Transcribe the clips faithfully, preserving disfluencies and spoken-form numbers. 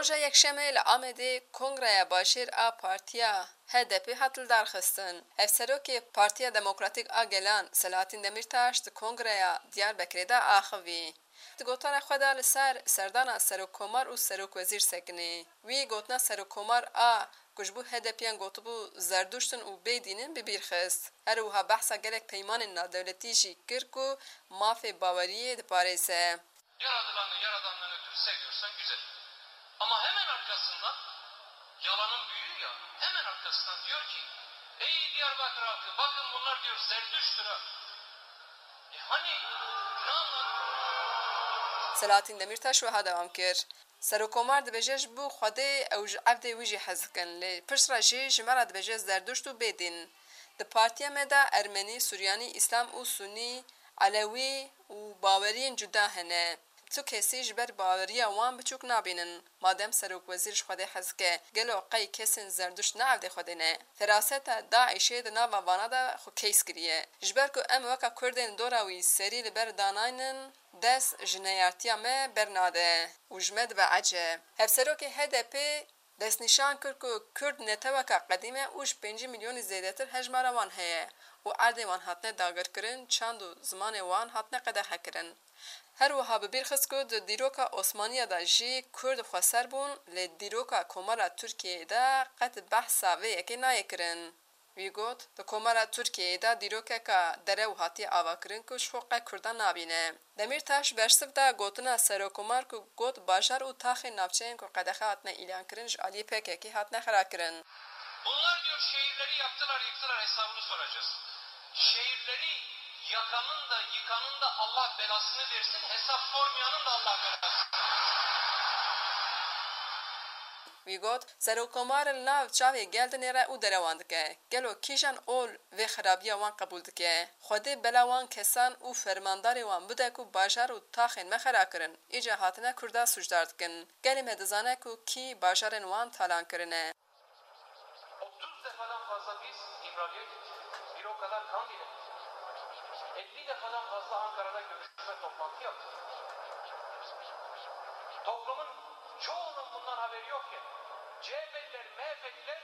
Roja Yekşemê li Amedê Kongreya Bajêr a Partiya H D P hat lidarxistin. Hevserokê Partiya Demokratîk a Gelan Selahattin Demirtaş di Kongreya Diyarbekirê de axivî. Di gotara xwe de li ser serdana Serokkomar û Serokwezîr sekinî. Wî gotina Serokkomar a ku ji bo H D P yan gotibû Zerduşt in û bêdîn in bi bîr xist. Her wiha behsa gelek peymanên nadewletî jî kir ku mafê baweriyê diparêze. Yaratılanı, yaradandan ötürü seviyorsan güzel. Ama hemen arkasından, yalanın büyüğü ya, hemen arkasından diyor ki, "Ey Diyarbakır halkı, bakın bunlar," diyor, "Zerdüşt'tür ha." E hani, ne anlat? Selahattin Demirtaş wiha dewam kir. Serokkomar dibêje ji bo Xwedê ew ji evdê wî jî hez dikin, lê piştre jî ji me re dibêje Zerduşt û bêdîn. Di partiya me de Ermenî, Suryanî, Îslam û Sunî, Elewî û baweriyên cuda hene. Tu kesî ji ber baweriya wan biçûk nabînin. Madem serokwezîr ji Xwedê hez dike, gelo qey kesên Zerduşt ne evdê Xwedê ne? Feraseta DAIŞê di nava vana de xwe keys kiriye. Ji ber ku em weke Kurdên dora wî serî li ber danaynin, dest ji neyartiya me bernade û ji me dibe eceb. Hevserokê H D P destnîşan kir ku Kurd neteweka qedîm e û ji pêncî milyonî zêdetir hejmara wan heye û erdê wan hatine dagirkirin, çand û zimanê wan hatine qedexekirin. Her wiha bi bîr xist ku di dîroka Osmaniya de jî Kurd xweser bûn, lê dîroka Komara Tirkiyeyê de qet behsa vê yekê nayê kirin. Wî got, di Komara Tirkiyeyê de dîrokeka derew hatiye avakirin ku ji xwe qe Kurdan nabîne. Demîrtaş bersiv da gotina Serokkomar ku got bajar û taxên navçeyên ku qedexe hatine îlankirin ji aliyê P K K hatine xirakirin. Bunlar diyor şehirleri yaktılar, yıktılar, hesabını soracağız. Şehirleri yakanın da yıkanın da Allah belasını versin, hesap sormayanın da Allah belasını versin. Wî got, Serokkomar li nav çavê gel dinêre û derewan dike. Gelo kîjan ol vê xirabiya wan qebûl dike? Xwedê bela wan kesan û fermandarê wan bide ku bajar û taxên me xera kirin. Îca hatine Kurda sûcdar dikin. Gelê me dizane ku kî bajarên wan talan kirine. Otuz defadan fazla biz İmralı'ya gittik. Bir o kadar Kandil'e. Elli defadan fazla Ankara'da görüşme, toplantı yaptık. Toplumun çoğunun bundan haberi yokken, C H P'liler, M H P'liler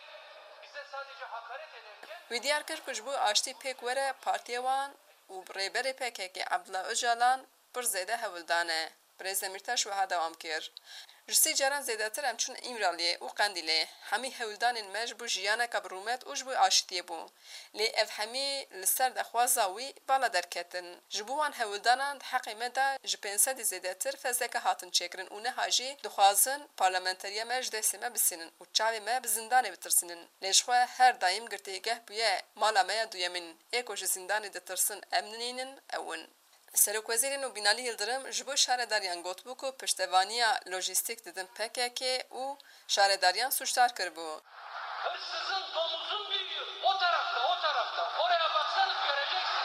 bize sadece hakaret ederken Wî diyar kir ku ji bo aştî pêk were partiyê wan û rêberê P K K Abdullah Ocalan pir zêde hewldan e. Birêz Demîrtaş wiha dewam kir, Ji sî caran zêdetir em çûn Îmraliyê û Qendîlê. Hemî hewldanên me ji bo jiyaneke bi rûmet û ji bo aştiyê bû. Lê ev hemî li ser daxwaza wî bala derketin. Ji bo wan hewldanan di heqê me de ji pênc sedî zêdetir fezleke hatin çêkirin û niha jî dixwazin parlamenteriya me ji destê me bisînin û çavê me bi zindanê bitirsînin. Lê jixwe her daîm girtîgeh bûye mala me ya duyemîn. Ê ku ji zindanê ditirsin em ninînin, ew in. Serokwezîrê nû Binalî Yildirim ji bo şaredariyan gotibû ku piştevaniya lojîstîk didin P K K û şaredariyan sûcdar kiribû. Hırsızın, domuzun büyüğü o tarafta, o tarafta. Oraya baksanız göreceksiniz.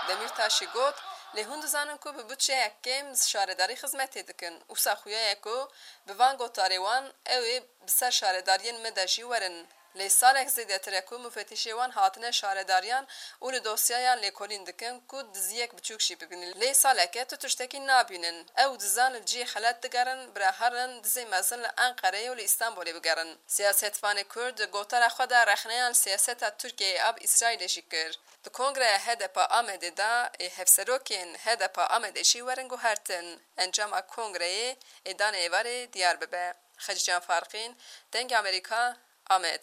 Demîrtaş jî got, Lê hûn dizanin ku bi budçeyek kêm şaredarî xizmetê dikin. Wisa xuya ye ku bi van gotarê wan ew ê bi ser şaredariyên me de jî werin. Lê salek zêdetir e ku mufetîşê wan hatine şaredariyan û li dosyayan lêkolîn dikin ku diziyek biçûk jî bibînin. Lê salek e tu tiştekî nabînin. Ew dizan li cihê xelet digerin, bira herin dizê mezin li Enqereyê û li Îstanbulê bigerin. Siyasetvanê Kurd di gotara xwe de rexneyan li siyaseta Tirkiyeyê a bi Îsraîlê jî kir. Di Kongreya H D P Amedê de ê hevserokên H D P Amedê jî werin guhertin. Encama Kongreyê ê danê êvarê diyar bibe. Xecîcan Farqîn, Dengê Amerîka, Amed.